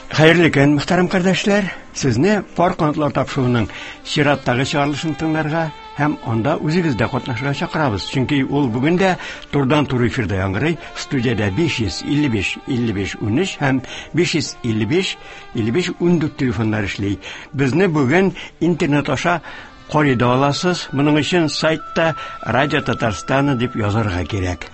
Хәерле көн, мөхтәрәм кардәшләр! Сезне Пар канатлар тапшыруының чираттагы чыгарылышын тыңларга һәм анда үзегез дә катнашырга чакырабыз. Чөнки ул бүген дә турыдан-туры эфирда яңгырый. Студиядә 555 55 13 һәм 555 55 14 телефоннар эшли. Безне бүген интернет аша карый да аласыз. Моның өчен сайтта Радио Татарстана дип язарга кирәк.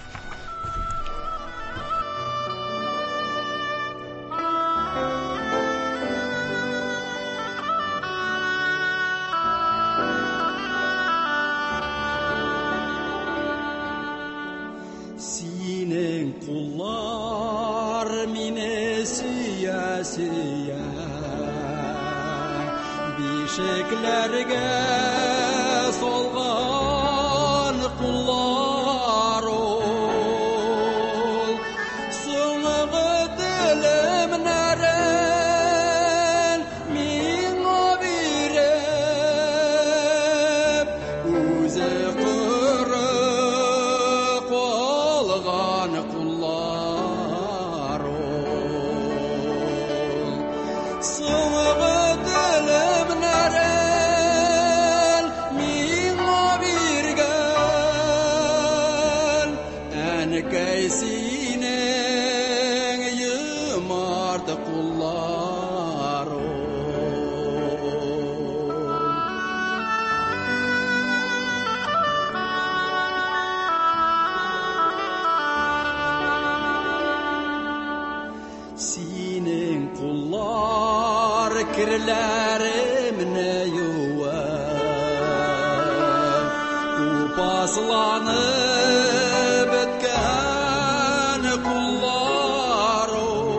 Синең куллар мине сөя-сөя Бишекләргә салган куллар ул. Соңгы телемнәрен миңа биреп, үзе коры калган куллар ул. Соңгы телемнәрен миңа биргән, әнкәй синең юмарт куллар ул. Синең куллар керләремне юып, Тупасланып беткән куллар ул.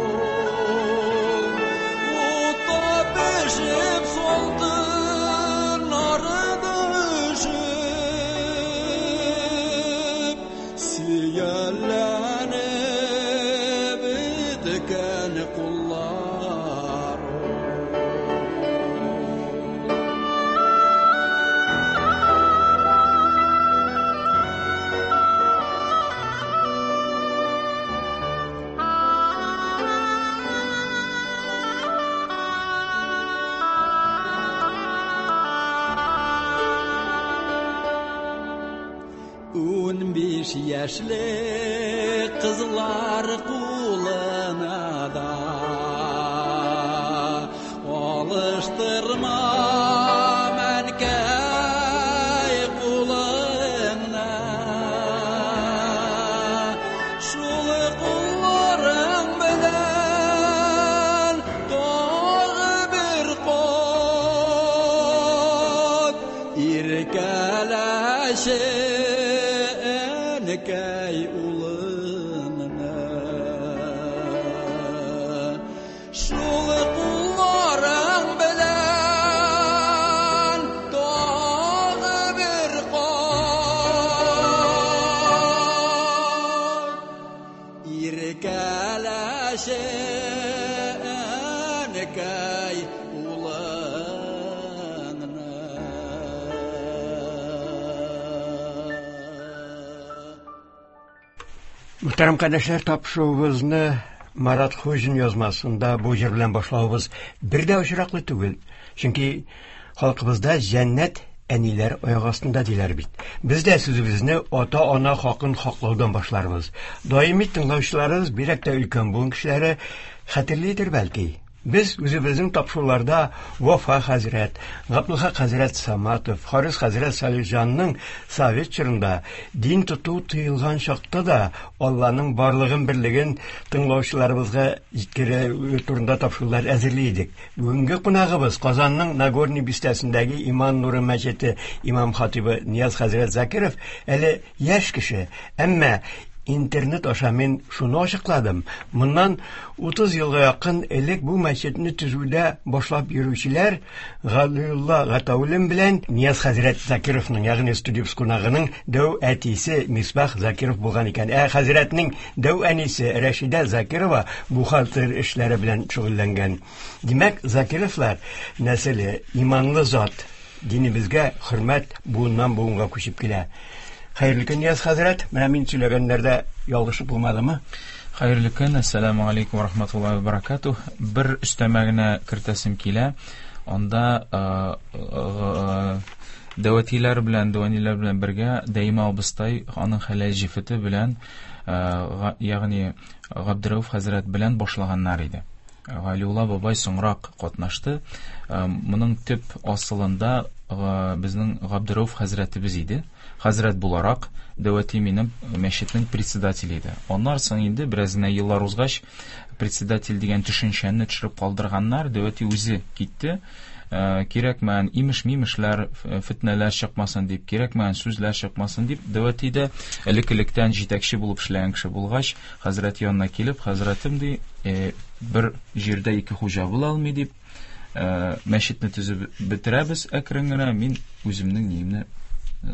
Утта пешеп салдын арыды өшеп, Сөялләнеп беткән куллар ул. 15 яшьлек кызлар кулына да алыштырма әнкәй кулыңны. Шул кулларың белән тагы бер кат иркәләшә әнкәй улыңны. Шул кулларың белән тагы бер кат иркәләшә әнкәй улыңны. Мөхтәрәм кардәшләр, тапшыруыбызны Марат Хуҗин язмасында бу җыр белән башлавыбыз бер дә очраклы түгел. Чөнки халкыбызда җәннәт әниләр аяк астында диләр бит. Без дә сүзебезне ата-ана хакын хаклаудан башларбыз. Даими тыңлаучыларыбыз, бигрәк тә өлкән буын кешеләре хәтерлидер бәлки. Без үзебезнең тапшыруларда Вафа хәзрәт, Габдулхак хәзрәт Саматов, Харис хәзрәт Салихҗанның совет чорында дин тоту тыелган чакта да Алланың барлыгын, берлеген тыңлаучыларыбызга җиткерү турында тапшырулар әзерли идек. Бүгенге кунагыбыз Казанның Нагорный бистәсендәге Иман нуры мәчете имам хатибы Нияз хәзрәт Закиров әле яшь кеше, әмма интернет аша мин шуны ачыкладым. Моннан 30 елга якын элек бу мәчетне төзүдә башлап йөрүчеләр Галиулла Гатауллин белән Нияз хәзрәт Закировның, ягъни студия кунагының дәү әтисе Мисбах Закиров булган икән. Ә хәзрәтнең дәү әнисе Рәшидә Закирова бухгалтер эшләре белән шөгыльләнгән. Димәк, Закировлар нәселе иманлы зат, динебезгә хөрмәт буыннан буынга күчеп килә. Хәерле көн, Нияз хәзрәт. Менә мин сөйләгәннәрдә ялгышып булмадымы? Хәерле көн, әссәламү алейкум ва рахматуллаһи ва баракатуһ. Бер өстәмә генә кертәсем килә. Анда дәвәтиләр белән, дәвәниләр белән бергә Дәимә абыстай аның хәләл җефете белән, ягъни Габдерәүф хәзрәт белән башлаганнар иде. Галиулла бабай соңрак катнашты. Моның төп асылында безнең Габдерәүф хәзрәтебез иде. Хәзрәт буларак Дәвәти минем мәчетнең председателе иде. Аннан соң инде бераз генә еллар узгач, председатель дигән төшенчәне төшереп калдырганнар, Дәвәти үзе китте. Кирәкмәгән имеш-мимешләр, фетнәләр чыкмасын дип, кирәкмәгән сүзләр чыкмасын дип, Дәвәти дә элек-электән җитәкче булып эшләгән кеше булгач, хәзрәт янына килеп, хәзрәтем ди, бер җирдә ике хуҗа була алмый дип, мәчетне төзеп бетерәбез әкрен генә, мин үземнең ниемне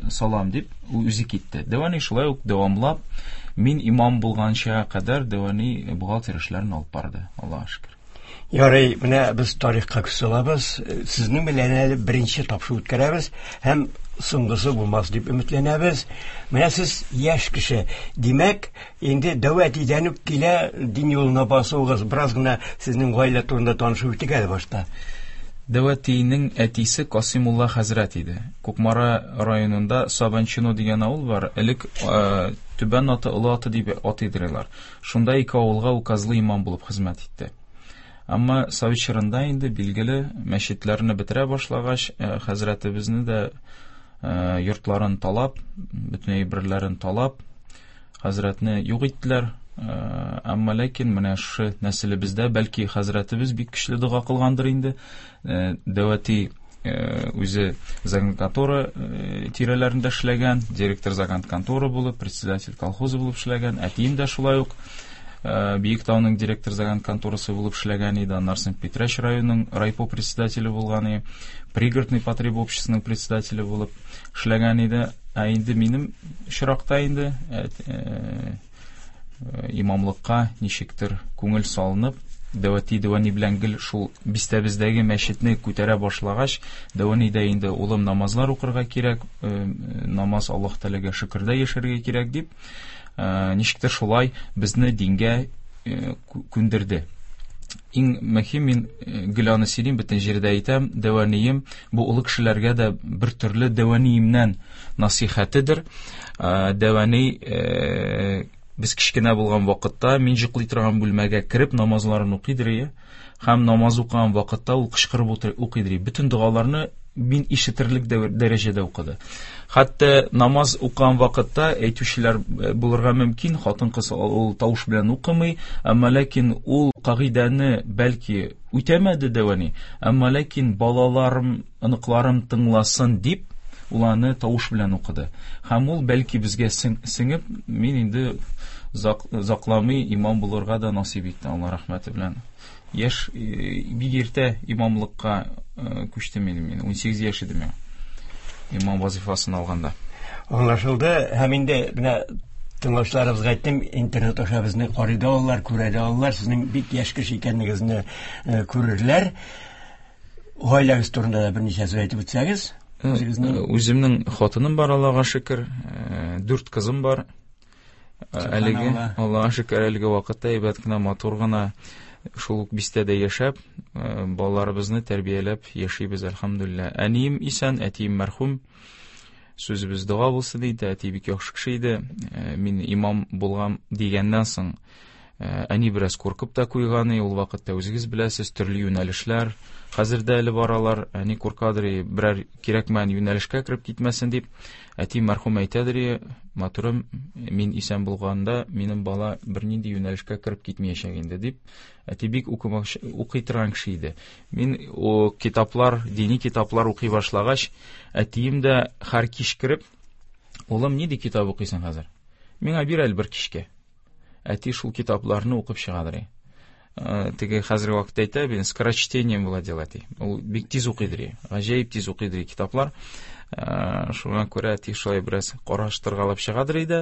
салам дип, үзе китте. Дәвани шулай ук дәвамлап, мин имам булганча кадәр Дәвани бухгалтер эшләрен алып барды, Аллаһка шөкер. Ярый, менә без тарихка күз салабыз. Сезнең белән әле беренче тапшыру үткәрәбез һәм соңгысы булмас дип өметләнәбез. Менә сез яшь кеше. Димәк, инде дәү әтидән үк килә дин юлына басуыгыз. Бераз гына сезнең гаилә турында танышып үтик әле башта. Дәү әтинең әтисе Касыймулла хәзрәт иде. Кукмара районында Сабанчино дигән авыл бар. Элек Түбән Аты, Олы Аты дип атыйдырылар. Шунда ике авылга указлы имам булып хезмәт итте. Әмма совет чорында инде билгеле мәчетләрне бетерә башлагач, хәзрәтебезне дә йортларын талап, бөтен әйберләрен талап, хәзрәтне юк иттеләр. Әмма ләкин менә шушы нәселебездә бәлки хәзрәтебез бик көчле дога кылгандыр инде. Дәвәти үзе загранконтора тирәләрендә эшләгән, директор загранконтора булып, председатель колхозы булып эшләгән. Әтием дә шулай ук Биектауның директор загранконторасы булып эшләгән иде. Аннан соң Питрәч районының райпо председателе булган иде, пригородный потребобществоның председателе булып эшләгән иде. Ә инде минем очракта инде имамлыкка ничектер күңел салынып, Дәвәти Дәвәни белән гел шул бистәбездәге мәчетне күтәрә башлагач, Дәвәни дә инде улым намазлар укырга кирәк, намаз Аллаһ Тәгаләгә шөкердә яшәргә кирәк дип, ничектер шулай безне дингә күндерде. Иң мөһим, мин гел аны сөйлим, бөтен җирдә әйтәм, дәвәнием бу олы кешеләргә дә бер төрле дәвәниемнән насыйхәтедер. Дәвәни без кечкенә булган вакытта мин йоклый торган бүлмәгә кереп намазларын укыйдыр ие, һәм намаз укыган вакытта ул кычкырып укыйдыр ие. Бөтен догаларны мин ишетерлек дәрәҗәдә укыды. Хәтта намаз укыган вакытта әйтүчеләр булырга мөмкин, хатын-кыз ул тавыш белән укымый, әмма ләкин ул кагыйдәне бәлки үтәмәде дәвәни, әмма ләкин балаларым, оныкларым тыңласын дип, ул аны тавыш белән укыды. Һәм ул бәлки безгә сеңеп, мин инде озакламый имам булырга да насыйп итте, Алла рәхмәте белән. Яшь, бик иртә имамлыкка күчтем инде мин, 18 яшь идем мин имам вазифасын алганда. Аңлашылды. Һәм инде менә тыңлаучыларыбызга әйттем, интернет аша безне карый да алалар, күрә дә алалар. Сезнең бик яшь кеше икәнлегегезне күрерләр. Гаиләгез турында да берничә сүз әйтеп үтсәгез. Үзегезнең Үземнең хатыным бар, Аллага шөкер, 4 кызым бар. Әлеге, Аллага шөкер, әлеге вакытта әйбәт кенә, матур гына шул ук бистәдә яшәп, балаларыбызны тәрбияләп яшибез, әлхәмдүлилләһ. Әнием исән, әтием мәрхүм. Сүзебез дога булсын диде, әти бик яхшы кеше иде. Мин имам булган дигәннән соң, әни бераз куркып та куйган, ул вакытта үзегез беләсез, төрле юнәлешләр хәзер дә әле баралар. Әни куркадыр, берәр кирәкмәгән юнәлешкә кереп китмәсен дип. Әти мәрхүм әйтәдер, матурым, мин исән булганда минем бала бернинди юнәлешкә кереп китмәячәк инде дип. Әти бик укый торган кеше иде. Мин о китаплар, дини китаплар укый башлагач, әтием дә һәр кич кереп, улым, нинди китап укыйсың хәзер? Миңа бир әле бер кичкә. Әти шул китапларны укып чыгадыр. Теге хәзерге вакытта әйтә, мин скорочтением владел әти. Ул бик тиз укыйдыр, гаҗәеп тиз укыйдыр китаплар. Шуңа күрә әти шулай бераз караштыргалап чыгадыр иде.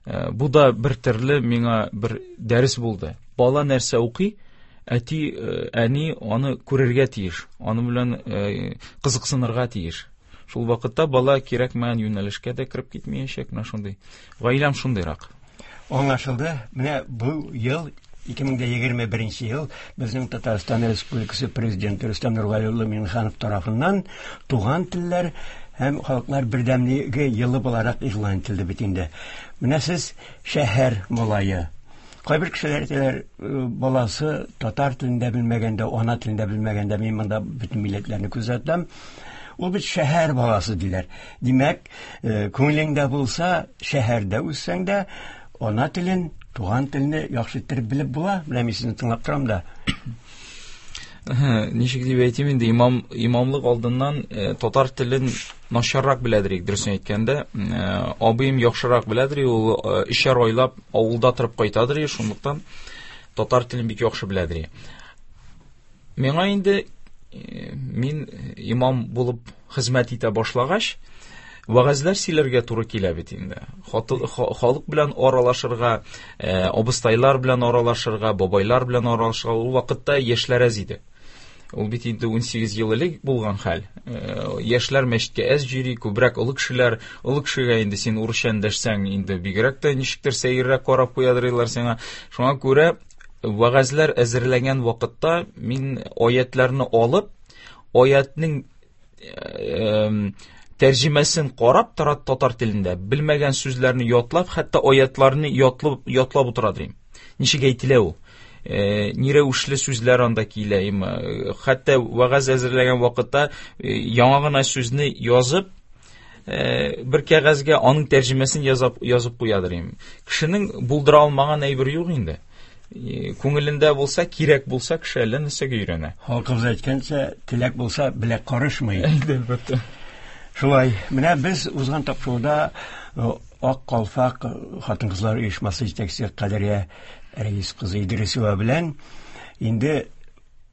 Бу да бер төрле миңа бер дәрес булды. Бала нәрсә укый, әти, әни аны күрергә тиеш, аны белән кызыксынырга тиеш. Шул вакытта бала кирәкмәгән юнәлешкә дә кереп китмәячәк, менә шундый. Гаиләм шундыйрак. Аңлашылды. Менә бу ел 2021 ел безнең Татарстан Республикасы Президенты Рөстәм Нургали улы Миңнеханов тарафыннан туган телләр һәм халыклар бердәмлеге елы буларак игълан ителде бит инде. Менә сез шәһәр малае. Кайбер кешеләр әйтәләр, баласы татар телендә белмәгәндә, ана телендә белмәгәндә, мин монда бөтен милләтләрне күзәтәм. Ул бит шәһәр баласы диләр. Димәк, күңелеңдә булса, шәһәрдә үссәң дә, ана телен, туган телне яхшы иттереп белеп була. Менә мин сезне тыңлап торам да. Ничек дип әйтим инде, имам, имамлык алдыннан татар телен начаррак беләдер идек, дөресен әйткәндә. Абыем яхшырак беләдер, ул өчәр айлап авылда торып кайтадыр, шунлыктан татар телен бик яхшы беләдер. Миңа инде мин имам булып хезмәт итә башлагач, вәгазьләр сөйләргә туры килә бит инде. Халык белән аралашырга, абыстайлар белән аралашырга, бабайлар белән аралашырга ул вакытта яшьләр әз иде. Ул бит инде 18 ел элек булган хәл. Яшьләр мәчеткә әз йөри, күбрәк олы кешеләр. Олы кешегә инде син урысча эндәшсәң, инде бигрәк тә ничектер сәеррәк карап куядырлар сиңа. Шуңа күрә вәгазьләр әзерләгән вакытта мин аятларны алып, аятның тәрҗемәсен карап тора татар телендә, белмәгән сүзләрне ятлап, хәтта аятларны ятлап, ятлап утыра дим. Ничек әйтелә ул? Ни рәвешле сүзләр анда килә, хәтта вәгазь әзерләгән вакытта яңа гына сүзне язып, бер кәгазьгә аның тәрҗемәсен язып, язып куядыр им. Кешенең булдыра алмаган әйбер юк инде. Күңелендә булса, кирәк булса, кеше әллә нәрсәгә өйрәнә. Халкыбыз әйткәнчә, теләк булса, беләк карышмый. Әлбәттә. Шулай, менә без узган тапшыруда Ак калфак хатын-кызлар оешмасы җитәкчесе Кадрия Рәис кызы Идрисова белән инде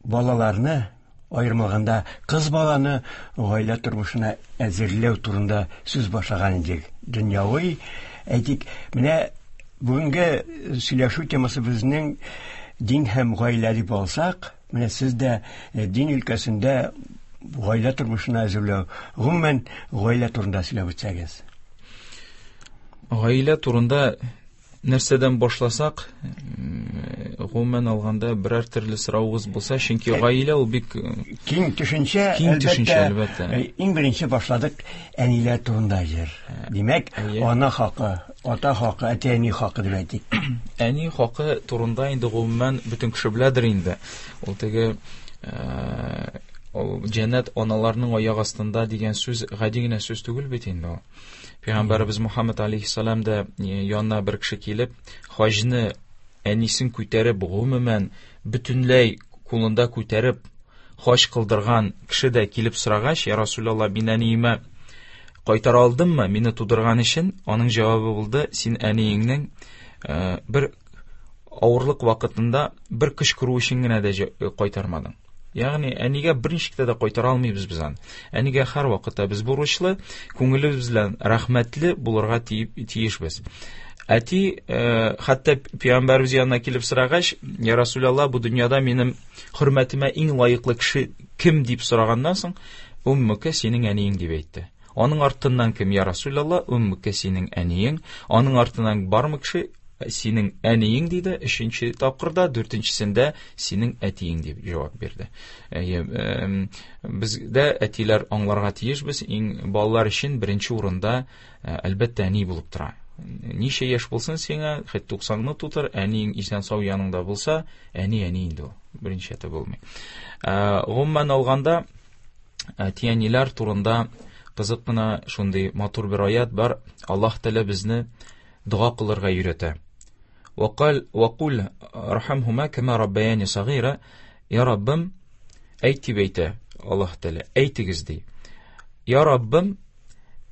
балаларны, аерым алганда кыз баланы гаилә тормышына әзерләү турында сүз башлаган идек. Дөньяви, әйтик, менә бүгенге сөйләшү темасы безнең дин һәм гаилә дип алсак, менә сез дә дин өлкәсендә гаилә тормышына әзерләү, гомумән гаилә турында сөйләп үтсәгез. Гаилә турында нәрсәдән башласак, гомумән алганда берәр төрле соравыгыз булса, чөнки гаилә ул бик киң төшенчә, киң төшенчә, әлбәттә. Иң беренче башладык әниләр турында җыр. Димәк, ана хакы, ата хакы, әти-әни хакы дип әйтик. Әни хакы турында инде гомумән бөтен кеше беләдер инде. Ул теге җәннәт аналарның аяк астында дигән сүз гади генә сүз түгел бит инде ул. Пәйгамбәребез Мухаммад алейхиссалам да янына бер кеше килеп, хаҗны әнисен күтәреп, гомумән бөтенләй кулында күтәреп хаҗ кылдырган кеше дә килеп сорагач, я Расулалла, мин әниемә кайтара алдыммы, мине тудырган өчен? Аның җавабы булды, син әниеңнең бер авырлык вакытында бер кычкыру өчен генә дә кайтармадың. Ягъни әнигә берничек тә кайтара алмыйбыз без аны. Әнигә һәр вакытта без бурычлы, күңелебез белән рәхмәтле булырга тиешбез. Әти, хәтта пәйгамбәребез янына килеп сорагач, я Расулалла, бу дөньяда минем хөрмәтемә иң лаеклы кеше кем дип сораганнан соң, уммука синең әниең дип әйтте. Аның артыннан кем, я Расулалла, уммука синең әниең, аның артыннан бармы кеше, синең әниең диде, өченче тапкырда, дүртенчесендә синең әтиең дип җавап бирде. Бездә әтиләр аңларга тиешбез, иң балалар өчен беренче урында, әлбәттә, әни булып тора. Ничә яшь булсын сиңа, хәтта туксанны тутыр, әниең исән сау яныңда булса, әни әни инде ул, беренче әти булмый. Гомумән алганда, әти-әниләр турында кызык кына шундый матур бер аят бар. Аллаһ Тәгалә безне дога кылырга өйрәтә. Вакал вакул рахамхума кама раббаяни сагира. Я Раббым, әйт дип әйтә Аллаһ Тәгалә, әйтегез ди. Я Раббым,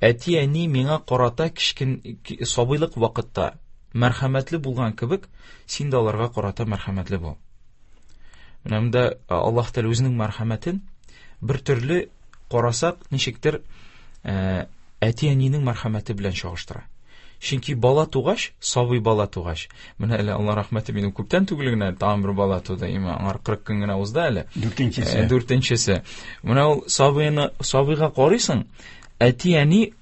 әти-әни миңа карата кечкен сабыйлык вакытта мәрхәмәтле булган кебек, син дә аларга карата мәрхәмәтле бул. Менә монда Аллаһ Тәгалә үзенең мәрхәмәтен бер төрле карасак, ничектер әти-әнинең мәрхәмәте белән чагыштыра. Чөнки бала тугач, сабый бала тугач, менә әле Алла рәхмәте, минем күптән түгел генә тагын бер бала туды, имә аңар 40 көн генә узды әле. Дүртенчесе. Дүртенчесе. Менә ул сабыйны, сабыйга карыйсың, әти-әни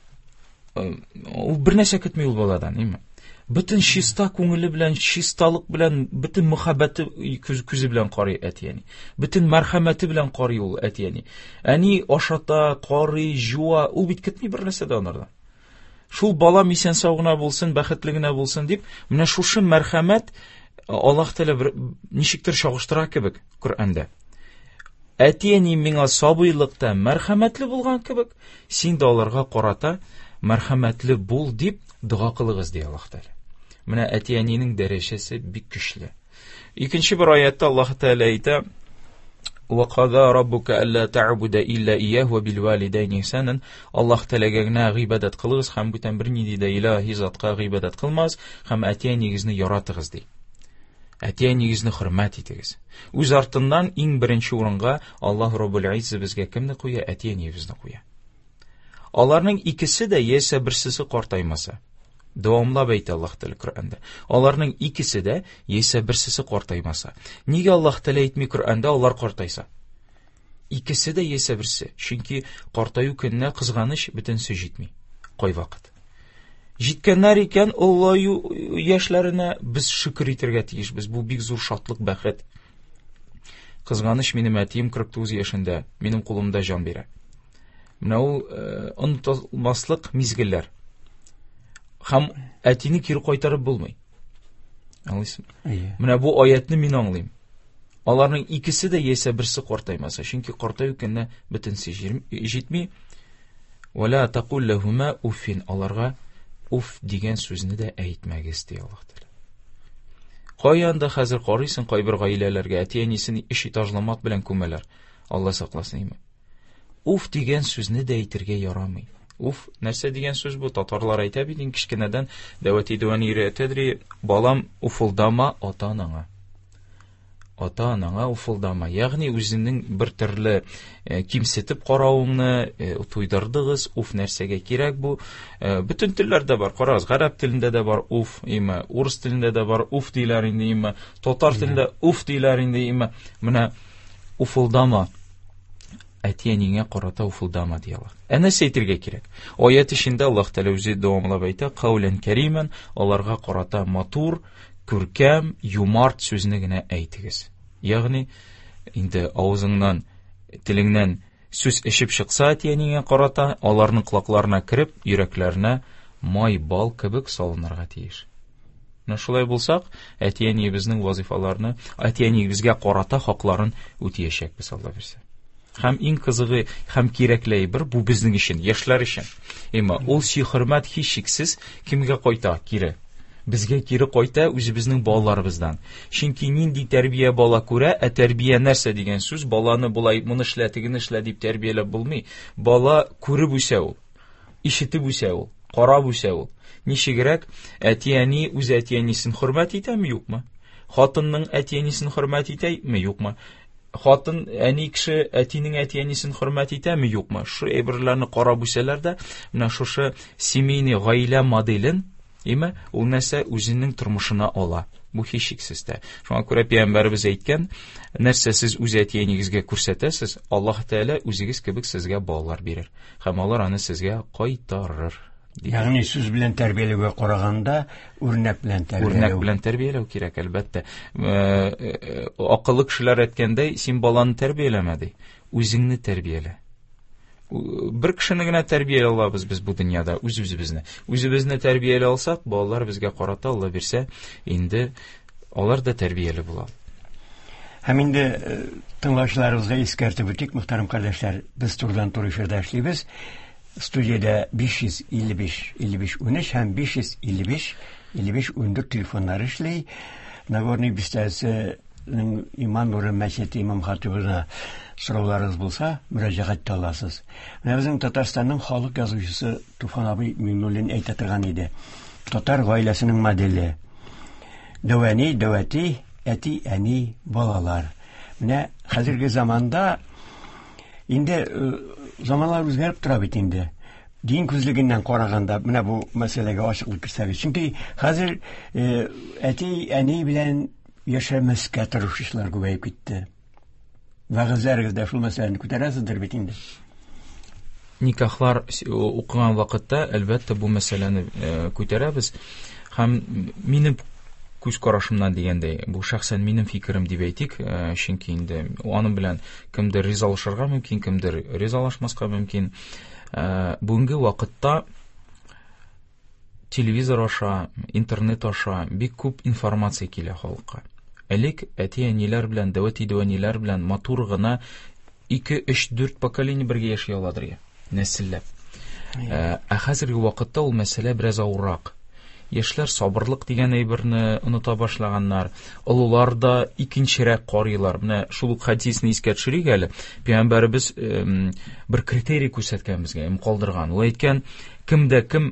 ул бер нәрсә көтми ул баладан, имә. Бөтен чиста күңеле белән, чисталык белән, бөтен мөхәббәте күзе белән карый әти-әни. Бөтен мәрхәмәте белән карый ул әти-әни. Әни ашата, карый, җуа, ул бит көтми бер нәрсә дә анардан. Шул балам исән сау гына булсын, бәхетле генә булсын дип, менә шушы мәрхәмәт Аллаһ Тәгалә бер ничектер чагыштыра кебек Коръәндә. Әти-әни миңа сабыйлыкта мәрхәмәтле булган кебек, син дә аларга карата мәрхәмәтле бул дип дога кылыгыз, ди Аллаһ Тәгалә. Менә әти-әнинең дәрәҗәсе бик көчле. Икенче бер аятта Аллаһ Тәгалә әйтә: "Ва када раббука алла та'буда илля ияһу ва бил валидайни ихсанан". Аллаһ Тәгаләгә генә гыйбадәт кылыгыз һәм бүтән бернинди дә илаһи затка гыйбадәт кылмагыз һәм әти-әнигезне яратыгыз, ди. Әти-әнигезне хөрмәт итегез. Үз артыннан иң беренче урынга Аллаһ Раббул Иззә безгә кемне куя? Әти-әниебезне куя. Аларның икесе дә яисә берсесе картаймаса. Дәвамлап әйтә Аллаһ Тәгалә Коръәндә. Аларның икесе дә яисә берсесе картаймаса. Нигә Аллаһ Тәгалә әйтми Коръәндә алар картайса? Икесе дә яисә берсе. Чөнки картаю көненә кызганыч бөтенесе җитми. Кайвакыт. Җиткәннәр икән олылаю яшьләренә без шөкер итәргә тиешбез. Бу бик зур шатлык, бәхет. Кызганыч, минем әтием 49 яшендә минем кулымда җан бирә. Менә ул онытылмаслык мизгелләр. Һәм әтине кире кайтарып булмый. Аңлыйсың? Менә бу аятны мин аңлыйм. Аларның икесе дә яисә берсе картаймаса, чөнки картаю көненә бөтенесе җитми. Вала тақул ләһума уффин. Аларга уф дигән сүзне дә әйтмәгез, ди Аллаһ Тәгалә. Каян да хәзер карыйсың кайбер гаиләләргә, әти-әнисен өч этажлы мат белән күмәләр. Алла сакласын, име. Уф дигән сүзне дә әйтергә ярамый. Уф, нәрсә дигән сүз бу? Татарлар әйтә бит инде кечкенәдән дәвәти дәвәни өйрәтәдер, балам, уфылдама ата-анаңа. Ата-анаңа уфылдама. Ягъни үзеңнең бер төрле кимсетеп каравыңны туйдырдыгыз, уф нәрсәгә кирәк бу? Бөтен телләрдә бар, карагыз, гарәп телендә дә бар уф, име, урыс телендә дә бар уф диләр инде, име, татар телендә уф диләр инде, име. Менә уфылдама. Әти-әниңә карата уфылдама, ди Аллаһ. Ә нәрсә әйтергә кирәк? Аят эчендә Аллаһ Тәгалә үзе дәвамлап әйтә, каулән кәримән, аларга карата матур, күркәм, юмарт сүзне генә әйтегез. Ягъни, инде авызыңнан, телеңнән сүз эчеп чыкса әти-әниңә карата, аларның колакларына кереп, йөрәкләренә май, бал кебек салынырга тиеш. Менә шулай булсак, әти-әниебезнең вазифаларны, әти-әниебезгә карата хакларын үтәячәкбез, Алла бирсә. Һәм иң кызыгы һәм кирәкле әйбер бу безнең өчен, яшьләр өчен. Әмма ул сөй-хөрмәт һичшиксез кемгә кайта кире? Безгә кире кайта үзебезнең балаларыбыздан. Чөнки нинди тәрбия бала күрә, ә тәрбия нәрсә дигән сүз, баланы болай моны эшлә, тегене эшлә дип тәрбияләп булмый. Бала күреп үсә ул. Ишетеп үсә ул, карап үсә ул. Ничегрәк әти-әни үз әти-әнисен хөрмәт итәме, юкмы? Хатынның әти-әнисен хөрмәт итәме, юкмы? Хатын, әни кеше әтинең әти-әнисен хөрмәт итәме, юкмы? Шу әйберләрне карап үсәләр дә, менә шушы семейный гаилә моделен, име, ул нәрсә үзенең тормышына ала. Бу һичшиксез дә. Шуңа күрә пәйгамбәребез әйткән, нәрсә сез үз әти-әнигезгә күрсәтәсез, Аллаһ Тәгалә үзегез кебек сезгә балалар бирер. Һәм алар аны сезгә кайтарыр. Ягъни сүз белән тәрбияләүгә караганда үрнәк белән тәрбияләү. Үрнәк белән тәрбияләү кирәк, әлбәттә. Акыллы кешеләр әйткәндәй, син баланы тәрбияләмә ди, үзеңне тәрбиялә. Бер кешене генә тәрбияли алабыз без бу дөньяда, үз-үзебезне. Үзебезне тәрбияли алсак, балалар безгә карата, Алла бирсә, инде алар да тәрбияле була. Һәм инде тыңлаучыларыбызга искәртеп үтик, мөхтәрәм кардәшләр, без турыдан-туры эфирда эшлибез. Студиядә 555 55 13 һәм 555 55 14 телефоннары эшли. Нагорный бистәсенең Иман нуры мәчете имам хатибына сорауларыгыз булса, мөрәҗәгать итә аласыз. Менә безнең Татарстанның халык язучысы Туфан абый Миңнуллин әйтә торган иде. Татар гаиләсенең моделе. Дәвәни, дәвәти, әти, әни, балалар. Менә хәзерге заманда инде заманнар үзгәреп тора бит инде. Дин күзлегеннән караганда менә бу мәсьәләгә ачыклык керсәгез. Чөнки хәзер әти, әни белән яшәмәскә тырышучылар күбәеп китте. Вәгазьләрегездә шул мәсьәләне күтәрәсездер бит инде. Никахлар укыган вакытта, әлбәттә, бу мәсьәләне күтәрәбез. Һәм минем күз карашымнан дигәндәй, бу шәхсән минем фикерем дип әйтик, чөнки инде аның белән кемдер ризалашырга мөмкин, кемдер ризалашмаска мөмкин. Бүгенге вакытта телевизор аша, интернет аша бик күп информация килә халыкка. Элек әти-әниләр белән, дәү әти-дәү әниләр белән матур гына 2, 3, 4 поколение бергә яши аладыр я, нәселләп. Ә хәзерге вакытта ул мәсьәлә бераз авыррак. Яшьләр сабырлык дигән әйберне оныта башлаганнар. Олылар да икенчерәк карыйлар. Менә шул ук хәдисне искә төшерик әле. Пәйгамбәребез бер критерий күрсәткән безгә, калдырган. Ул әйткән, кемдә кем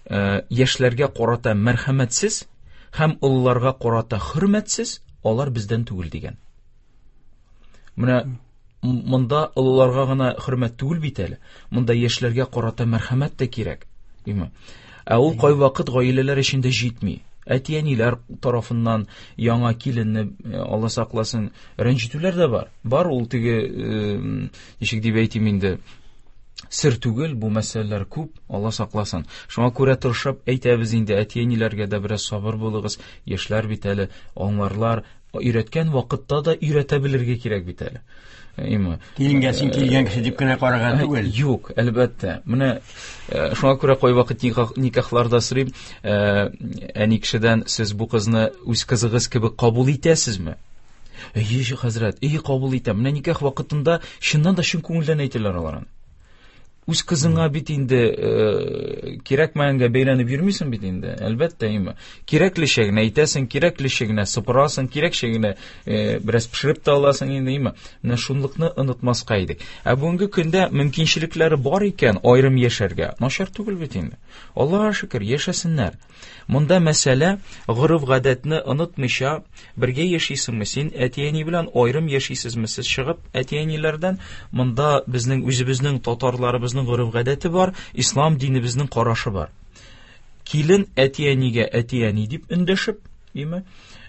яшьләргә карата мәрхәмәтсез һәм олыларга карата хөрмәтсез, алар бездән түгел дигән. Менә монда олыларга гына хөрмәт түгел бит әле. Монда яшьләргә карата мәрхәмәт тә кирәк. Димме? Ә ул кайвакыт гаиләләр эчендә җитми. Әти-әниләр тарафыннан яңа киленне, Алла сакласын, рәнҗетүләр дә бар. Бар ул теге, ничек дип әйтим инде, сер түгел, бу мәсьәләләр күп, Алла сакласын. Шуңа күрә тырышып әйтәбез инде, әти-әниләргә дә бераз сабыр булыгыз, яшьләр бит әле аңларлар, өйрәткән вакытта да өйрәтә белергә кирәк бит әле. Име. Киленгә син килгән кеше дип кенә карарга түгел. Юк, әлбәттә. Менә шуңа күрә кайвакыт никахларда сорыйм, әни кешедән, сез бу кызны үз кызыгыз кебек кабул итәсезме? Әйе, хәзрәт, әйе, кабул итәм. Менә никах вакытында чыннан да чын күңелдән әйтәләр алар аны. Үз кызыңа бит инде кирәкмәгәнгә бәйләнеп йөрмисең бит инде, әлбәттә, име. Кирәклечә генә әйтәсең, кирәклечә генә сыпырасың, кирәкчә генә бераз пешереп тә аласың инде, име. Менә шунлыкны онытмаска идек. Ә бүгенге көндә мөмкинчелекләре бар икән аерым яшәргә, начар түгел бит инде. Аллаһка шөкер, яшәсеннәр. Монда мәсьәлә гореф-гадәтне онытмыйча бергә яшисеңме син, әти-әни белән аерым яшисезме сез чыгып әти-әниләрдән? Монда безнең үзебезнең татарларыбызның гореф-гадәте бар, ислам динебезнең карашы бар. Килен әти-әнигә әти-әни дип эндәшеп, име?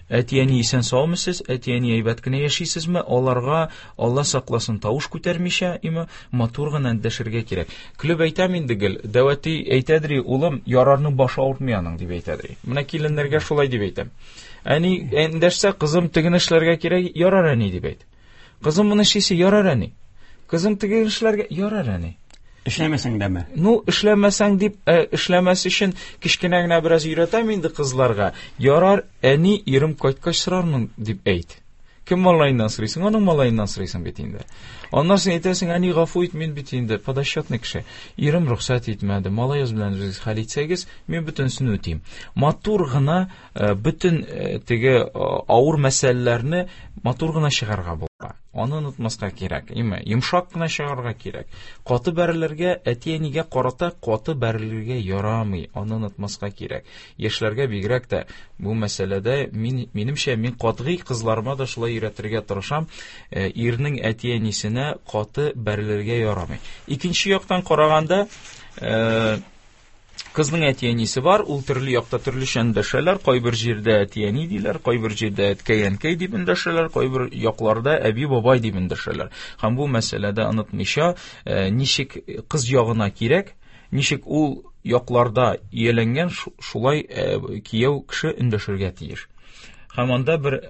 Әти-әни исән саумы сез, әти-әни әйбәт кенә яшисезме? Аларга Алла сакласын тавыш күтәрмичә, име, матур гына эндәшергә кирәк. Көлеп әйтәм инде гел, дәү әти әйтәдер, улым, ярарның башы авыртмый аның, дип әйтәдер. Менә киленнәргә шулай дип әйтәм. Әни эндәшсә, кызым, тегене эшләргә кирәк, ярар әни дип әйт. Кызым, моны эшлисе, ярар әни. Кызым, тегене эшләргә, ярар әни. Эшләмәсәң дәме? Ну, эшләмәсәң дип, эшләмәс өчен кечкенә генә бераз өйрәтәм инде кызларга. Ярар, әни, ирем кайткач сорармын дип әйт. Кем малаеннан сорыйсың? Аның малаеннан сорыйсың бит инде. Аннан соң әйтәсең, әни, гафу ит, мин бит инде подосчетный кеше. Ирем рөхсәт итмәде. Малаегыз белән үзегез хәл итсәгез, мин бөтенесен үтим. Матур гына бөтен теге авыр мәсьәләләрне матур гына чыгарга була. Аны онытмаска кирәк. Име, йомшак кына чыгарга кирәк. Каты бәрелергә, әти-әнигә карата каты бәрелергә ярамый. Аны онытмаска кирәк. Яшьләргә бигрәк тә бу мәсьәләдә мин, минемчә, мин катгый кызларыма да шулай өйрәтергә тырышам. Ирнең әти-әнисенә каты бәрелергә ярамый. Икенче яктан караганда, кызның әти-әнисе бар, ул төрле якта төрлечә эндәшәләр, кайбер җирдә әти-әни диләр, кайбер җирдә әткәй-әнкәй дип эндәшәләр, кайбер якларда әби-бабай дип эндәшәләр. Һәм бу мәсьәләдә онытмыйча, ничек кыз ягына кирәк, ничек ул якларда ияләнгән, шулай кияү кеше эндәшергә тиеш. Һәм анда бер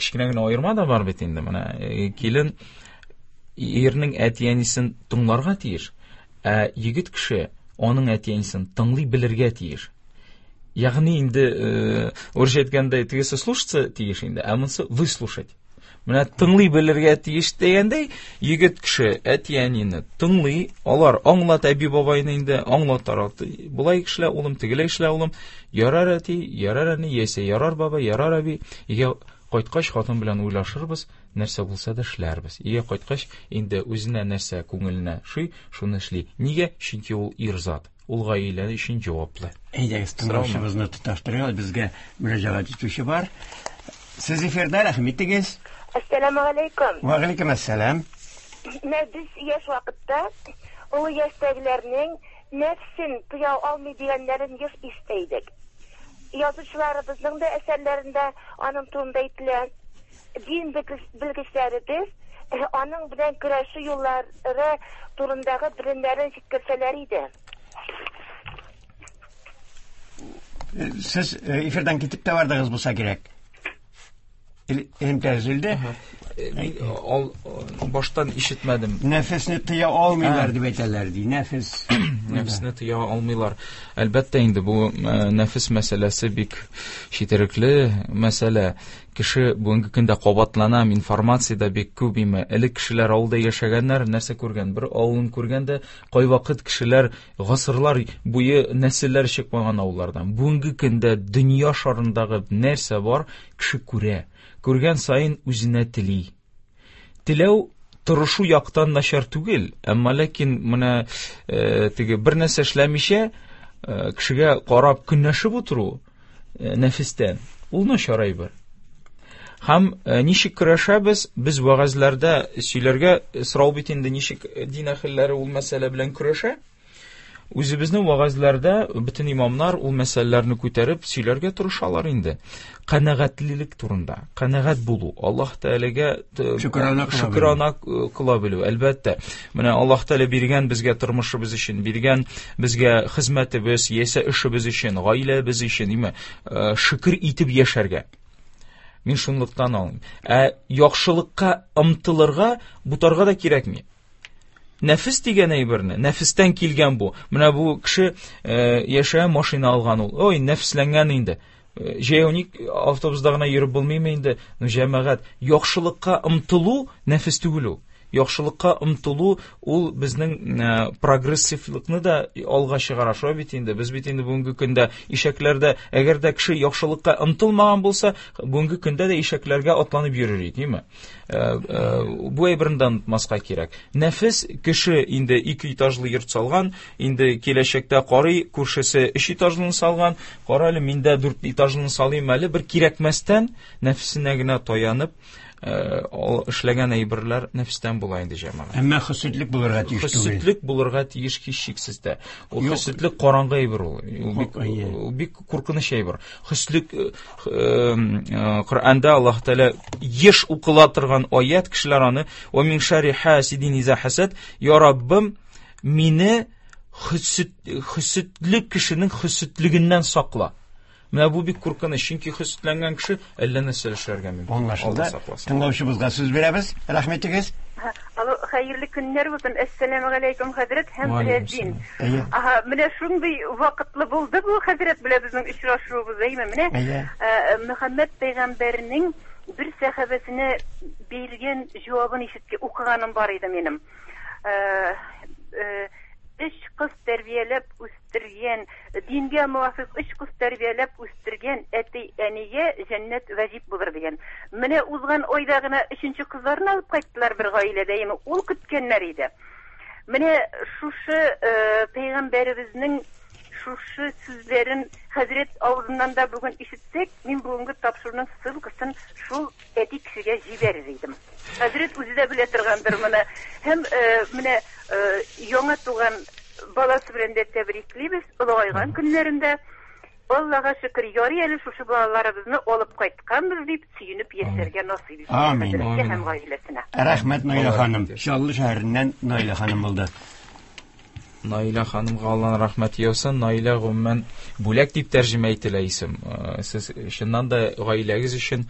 кечкенә генә аерма да бар бит инде. Менә килен ирнең әти-әнисен тыңларга тиеш, ә егет кеше аның әти-әнисен тыңлый белергә тиеш. Ягъни инде, урысча әйткәндә, тегесе слушаться тиеш инде, ә монысы выслушать. Менә тыңлый белергә тиеш дигәндәй, егет кеше әти-әнине тыңлый, алар аңлата әби-бабайны инде, аңлатар. Болай эшлә, улым, тегеләй эшлә, улым. Ярар әти, ярар әни, яисә ярар бабай, ярар әби. Өйгә кайткач хатын белән уйлашырбыз, нәрсә булса да эшләрбез. Өйгә кайткач инде үзенә нәрсә күңеленә шый, шуны эшли. Нигә? Чөнки ул ир зат. Ул гаилә өчен җаваплы. Әйдәгез, тыңлаучыбызны тоташтырыйк, безгә мөрәҗәгать итүче бар. Сез эфирдә, рәхим итегез. Әссәламү алейкум. Ва алейкум әссәлам. Менә без яшь вакытта олы яшьтәгеләрнең нәфсен тыя алмый дигәннәрен еш ишетә идек. Язучыларыбызның да әсәрләрендә аның турында әйтелә. Дин белгечләребез Аның белән көрәшү юллары турындагы белемнәрен җиткерсәләр иде. Сез эфирдан китеп тә бардыгыз булса кирәк. Элемтә өзелде. Мин ал баштан ишетмәдем. Нәфесне тыя алмыйлар дип әйтәләр ди. Нәфес. Нәфесне тыя алмыйлар. Әлбәттә инде бу нәфес мәсьәләсе бик четерекле мәсьәлә. Кеше бүгенге көндә кабатлана, информация да бик күп име. Элек кешеләр авылда яшәгәннәр, нәрсә күргән? Бер авылын күргән дә, кайвакыт кешеләр гасырлар буе нәселләр чыкмаган авыллардан. Бүгенге көндә дөнья шарындагы нәрсә бар, кеше күрә. Күргән саен үзенә тели. Теләү тырышу яктан начар түгел, әмма ләкин менә теге бер нәрсә эшләмичә кешегә карап көнләшеп утыру нәфестән, ул начар әйбер. Һәм ничек көрәшәбез? Без вәгазьләрдә сөйләргә сорау бит инде, ничек дин әһелләре ул мәсьәлә белән көрәшә? Үзебезнең вәгазьләрдә бөтен имамнар ул мәсьәләләрне күтәреп сөйләргә тырышалар инде. Канәгатьлелек турында, канәгать булу, Аллаһ Тәгаләгә шөкрана кыла белү, әлбәттә. Менә Аллаһ Тәгалә биргән безгә тормышыбыз өчен, биргән безгә хезмәтебез, яисә эшебез өчен, гаиләбез өчен, име, шөкер итеп яшәргә. Мин шунлыктан алыйм. Ә яхшылыкка омтылырга, бутарга да кирәкми. Нәфес дигән әйберне, нәфестән килгән бу. Менә бу кеше яшә машина алган ул. Ой, нәфесләнгән инде. Җәяү ник автобуста гына йөреп булмыймы инде? Ну, җәмәгать, яхшылыкка омтылу нәфес түгел ул. Яхшылыкка омтылу ул безнең прогрессивлыкны да алга чыгара. Шулай бит инде. Без бит инде бүгенге көндә ишәкләрдә, әгәр дә кеше яхшылыкка омтылмаган булса, бүгенге көндә дә ишәкләргә атланып йөрер иде, димме? Бу әйберне дә онытмаска кирәк. Нәфес кеше инде 2 этажлы йорт салган, инде киләчәктә карый, күршесе 3 этажлыны салган, кара әле мин дә 4 этажлыны салыйм әле, бер кирәкмәстән нәфесенә генә таянып, эшләгән әйберләр нәфестән була инде, җәмәгать. Әмма хөсетлек булырга тиеш түгел. Хөсетлек булырга тиеш һичшиксез дә. Ул хөсетлек караңгы әйбер ул. Ул бик куркыныч әйбер. Хөслек Коръәндә Аллаһ Тәгалә еш укыла торган аят, кешеләр аны ва мин шарри хасидин иза хасад, я Раббым, мине хөсетлек кешенең хөсетлегеннән сакла. Менә бу бик куркыныч, чөнки хөсетләнгән кеше әллә нәрсә эшләргә мөмкин. Аңлашылды. Тыңлаучыбызга сүз бирәбез. Рәхмәтегез. Алло, хәерле көннәр булсын. Әссәламу алейкум, хәзрәт һәм Рәзин. Аһа, менә шундый вакытлы булды бу хәзрәт белән безнең очрашуыбыз, әйме? Менә Мөхәммәд пәйгамбәрнең бер сәхабәсенә биргән җавабын ишеткән, укыганым бар иде минем. Өч кыз тәрбияләп үстергән, дингә муафыйк өч кыз тәрбияләп үстергән әти-әнигә җәннәт вәҗиб булыр дигән. Менә узган айда гына өченче кызларын алып кайттылар бер гаиләдә, яме ул көткәннәр иде. Менә шушы пәйгамбәребезнең шушы сүзләрен хәзрәт авызыннан да бүген ишетсәк, мин бүгенге тапшыруның ссылкасын шул әти кешегә җибәрер идем. Хәзрәт үзе дә белә торгандыр моны. Һәм менә яңа туган баласы белән дә тәбриклибез, олыгайган көннәрендә. Аллага шөкер, ярый әле шушы балаларыбызны алып кайтканбыз дип сөенеп яшәргә насыйп итсен. Амин. Хәзрәткә һәм гаиләсенә. Рәхмәт, Наилә ханым. Чаллы шәһәреннән Наилә ханым булды. Наилә ханымга Аллаһның рәхмәте яусын. Наилә гомумән бүләк дип тәрҗемә ителә исем. Сез чыннан да гаиләгез өчен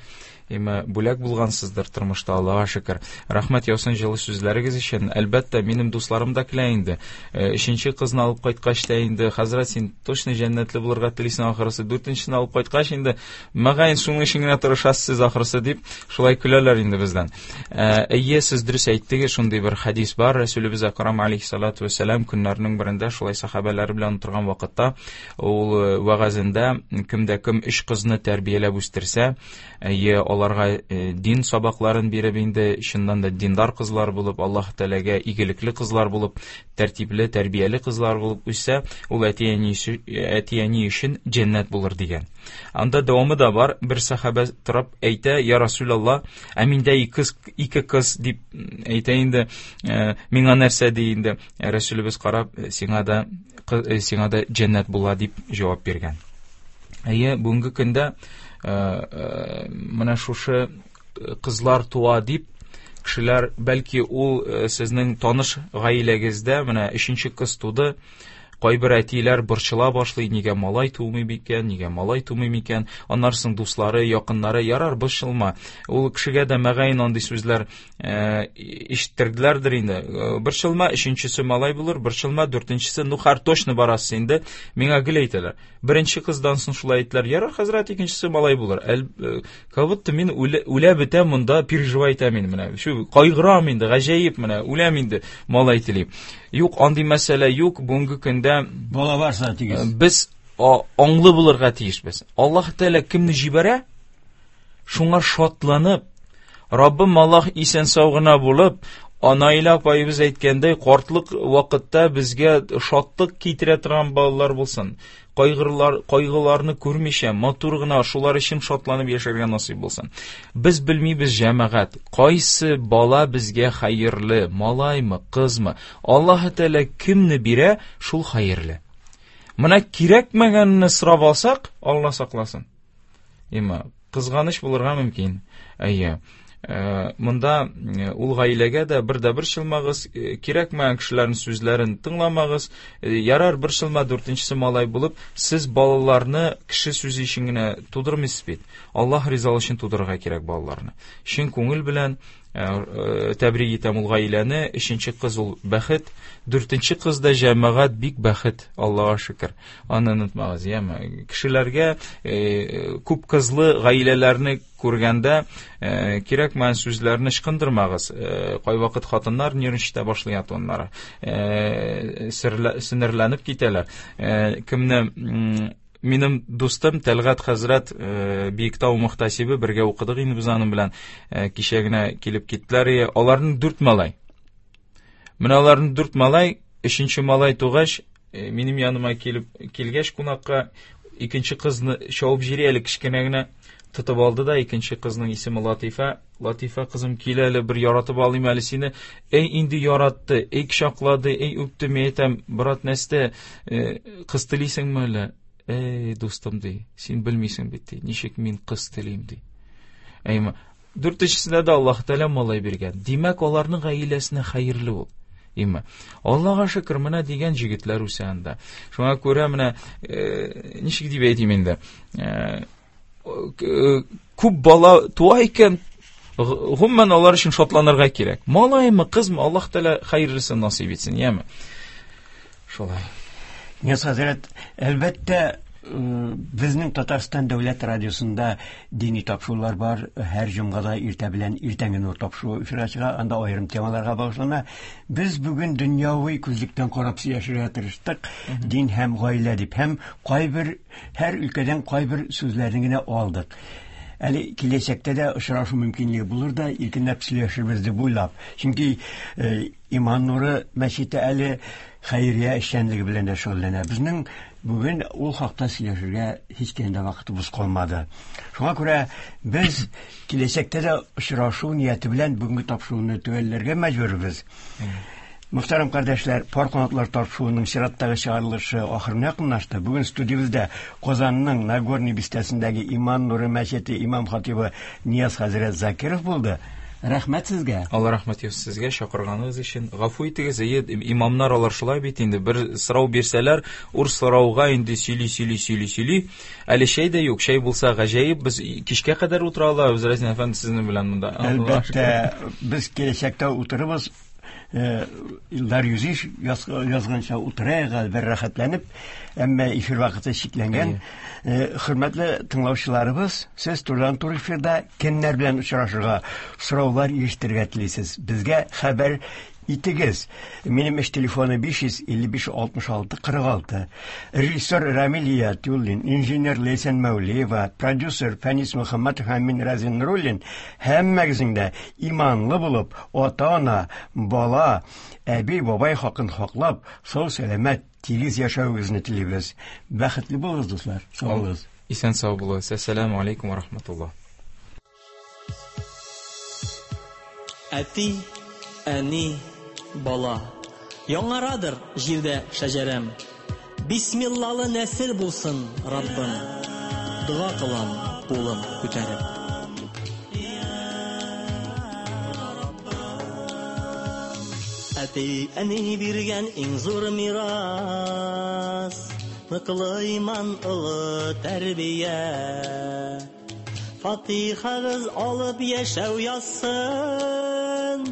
име бүләк булгансыздыр тормышта, Аллаһка шөкер. Рәхмәт яусын җылы сүзләрегез өчен. Әлбәттә, минем дусларым да килә инде. Өченче кызны алып кайткач та инде, хәзрәт, син точно җәннәтле булырга телисең ахрысы. Дүртенчесен алып кайткач инде, мөгаен шуның өчен генә тырышасыз сез ахрысы дип, шулай көләләр инде бездән. Әйе, сез дөрес әйттегез, шундый бер хәдис бар. Рәсүлебез Әкрам алейхиссалату вәссәлам көннәрнең берендә шулай сахабәләре белән утырган вакытта ул вәгазендә кемдә кем өч кызны тәрбияләп үстерсә, әйе, аларга дин сабакларын биреп инде чыннан да диндар кызлар булып, Аллаһ Тәгаләгә игелекле кызлар булып, тәртипле, тәрбияле кызлар булып үссә, ул әти-әни өчен җәннәт булыр дигән. Анда дәвамы да бар. Бер сахабә торып әйтә: "Я Расулалла, ә миндә ике кыз дип әйтә инде, миңа нәрсә ди инде?" Расулыбыз карап, сиңа да җәннәт була дип җавап биргән. Әйе, бүгенге көндә менә шушы кызлар туа дип Кешеләр, бәлки ул сезнең таныш гаиләгездә менә өченче кыз туды, кайбер әтиләр борчыла башлый, нигә малай тумый микән, нигә малай тумый микән? Аннан соң дуслары, якыннары, ярар, борчылма. Ул кешегә дә мөгаен андый сүзләр ишеттерделәрдер инде. Борчылма, өченчесе малай булыр, борчылма, дүртенчесе, ну хәр точно барасыз инде. Миңа гел әйтәләр. Беренче кыздан соң шулай әйттеләр, ярар, хәзрәт, икенчесе малай булыр. Как будто мин үлә бетәм монда, переживай итәм инде менә. Шу кайгырам инде, гаҗәеп менә, үләм инде, малай телим. Юк, андый мәсьәлә юк. Бүгенге көндә бала барса тигез. Без аңлы булырга тиешбез. Аллаһ Тәгалә кемне җибәрә, шуңа шатланып, Раббым Аллаһ исән сау гына булып, Наилә апаебыз әйткәндәй, картлык вакытта безгә шатлык китерә торган балалар булсын. Кайгылар, кайгыларны күрмичә, матур гына шулар өчен шатланып яшәргә насыйп булсын. Без белмибез, җәмәгать, кайсы бала безгә хәерле, малаймы, кызмы. Аллаһ Тәгалә кемне бирә, шул хәерле. Менә кирәкмәгәнне сорап алсак, Алла сакласын. Има, кызганыч булырга мөмкин. Әйе. Монда ул гаиләгә дә бер дә бер чылмагыз, кирәкмәгән кешеләрнең сүзләрен тыңламагыз. Ярар, бер чылма, дүртенчесе малай булып, сез балаларны кеше сүзе өчен генә тудырмыйсыз бит. Аллаһ ризалыгы өчен тудырырга кирәк балаларны. Чын күңел белән тәбрик итәм ул гаиләне. Өченче кыз ул бәхет, дүртенче кыз да җәмәгать бик бәхет, Аллаһка шөкер. Аны онытмагыз, яме. Кешеләргә күп кызлы гаиләләрне күргәндә кирәкмәгән сүзләрне ычкындырмагыз. Кайвакыт хатыннар нервничать башлый атоннары. Сеңерләнеп китәләр. Кемне минем дустым Тәлгать хәзрәт, Биектау мөхтәсибе, бергә укыдык инде без аның белән. Кичә генә килеп киттеләр. Аларның 4 малай. Менә аларның 4 малай, өченче малай тугач, минем яныма килеп килгәч кунакка, икенче кызны чабып җири әле кечкенә генә тотып алды да, икенче кызның исеме Латифа. Латифа, кызым, кил әле, бер яратып алыйм әле сине. Эй, инде яратты, эй, кочаклады, эй, үпте. Мин әйтәм, брат, нәрсә, кыз телисеңме әллә? Эй, дустым, ди, син белмисең бит, ди, ничек мин кыз телим, ди. Әйме, дүртенчесендә дә Аллаһ Тәгалә малай биргән. Димәк, аларның гаиләсенә хәерле ул. Име. Аллаһка шөкер, менә дигән җегетләр үсә анда. Шуңа күрә менә ничек дип әйтим инде? Күп бала туа икән, гомумән алар өчен шатланырга кирәк. Малаймы, кызмы, Аллаһ Тәгалә хәерлесен насыйп итсен, яме. Шулай. Нияз хәзрәт, әлбәттә, безнең Татарстан дәүләт радиосында дини тапшырулар бар. Һәр җомгада иртә белән иртәнге нур тапшыруы эфирга чыга, анда аерым темаларга багышлана. Без бүген дөньяви күзлектән карап сөйләшергә тырыштык, дин һәм гаилә дип, һәм кайбер һәр өлкәдән кайбер сүзләрне генә алдык. Әле киләчәктә дә очрашу мөмкинлеге булыр да, иркенләп сөйләшербез дип уйлап. Чөнки Иман нуры мәчете әле хәйрия эшчәнлеге белән дә шөгыльләнә. Безнең бүген ул хакта сөйләшергә һич кенә дә вакытыбыз калмады. Шуңа күрә без киләчәктә дә очрашу нияте белән бүгенге тапшыруны төгәлләргә мәҗбүрбез. Мөхтәрәм кардәшләр, Пар канатлар тапшыруының чираттагы чыгарылышы ахырына якынлашты. Бүген студиябездә Казанның Нагорный бистәсендәге Иман нуры мәчете имам хатибы Нияз хәзрәт Закиров булды. Рәхмәт сезгә. Алла рәхмәт яусын сезгә чакырганыгыз өчен. Гафу итегез, әйе, имамнар алар шулай бит инде, бер сорау бирсәләр, ур сорауга инде сөйли, сөйли, сөйли, сөйли. Әле чәй дә юк, чәй булса гаҗәеп, без кичкә кадәр утыра алабыз, Разин әфәнде, сезнең белән монда. Әлбәттә, без киләчәктә утырыбыз. Илдар Юзиш язганча утырайык әле бер рәхәтләнеп, әмма эфир вакыты чикләнгән. Хөрмәтле тыңлаучыларыбыз, сез турыдан-туры эфирда кемнәр белән очрашырга, сораулар ирештерергә телисез? Безгә хәбәр итегез. Минем эш телефоны 555 66 46. Режиссер Рамиль Ятуллин, инженер Ләйсән Мәүлиева, продюсер Фәнис Мөхәммәтов һәм мин Разин Нуруллин һәммәгезнең дә иманлы булып, ата-ана, бала, әби, бабай хакын хаклап, сау-сәламәт, тигез яшәвегезне телибез. Бәхетле булыгыз, дуслар. Сау булыгыз. Исән сау булыгыз. Әссәламү алейкум ва рахматуллаһ. Әти, әни, бала. Яңарадыр җирдә шәҗәрәм. Бисмиллалы нәсел булсын, Раббым. Дога кылам, кулым күтәреп. Әти, әни биргән иң зур мирас, ныклы иман, олы тәрбия. Фатихагыз алып яшәү язсын,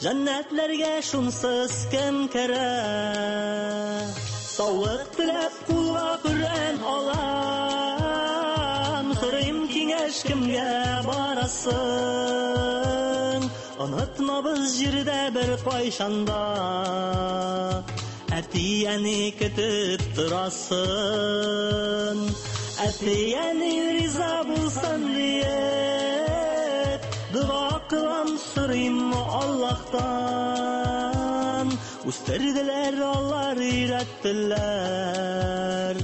җәннәтләргә шунсыз кем керә? Саулык теләп кулга Коръән алам, сорыйм киңәш кемгә барасың? Онытмабыз җирдә бер кайчанда, әти-әни көтеп торасын. Әти-әни риза булсын диеп, дога кылам, сорыйм Аллаһтан. Үстерделәр алар, өйрәттеләр,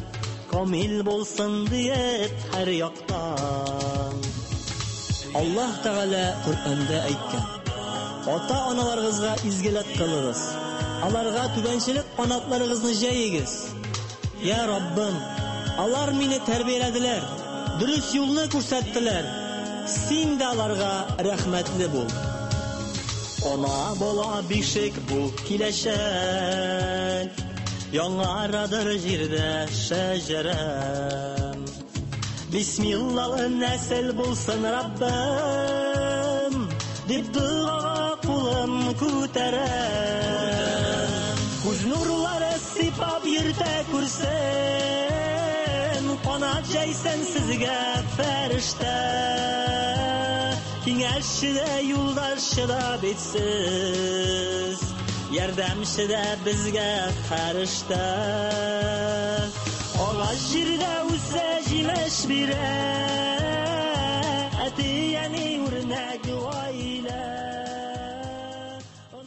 камил булсын диеп һәр яктан. Аллаһ Тәгалә Коръәндә әйткән: Ата-аналарыгызга изгелек кылыгыз, аларга түбәнчелек канатларыгызны җәегез. Я Раббым, алар мине тәрбияләделәр, дөрес юлны күрсәттеләр. Син дә аларга рәхмәтле бул. Ана, бала, бишек бу киләчәк, яңарадыр җирдә шәҗәрәм. Бисмиллалы нәсел булсын Раббым, дип догага кулым күтәрәм. Күз нурлары сыйпап йөртә күрсен, канат җәйсен сезгә фәрештә. Киңәшче дә, юлдашчы да бит сез, ярдәмче дә безгә фәрештә. Агач җирдә үсә, җимеш бирә,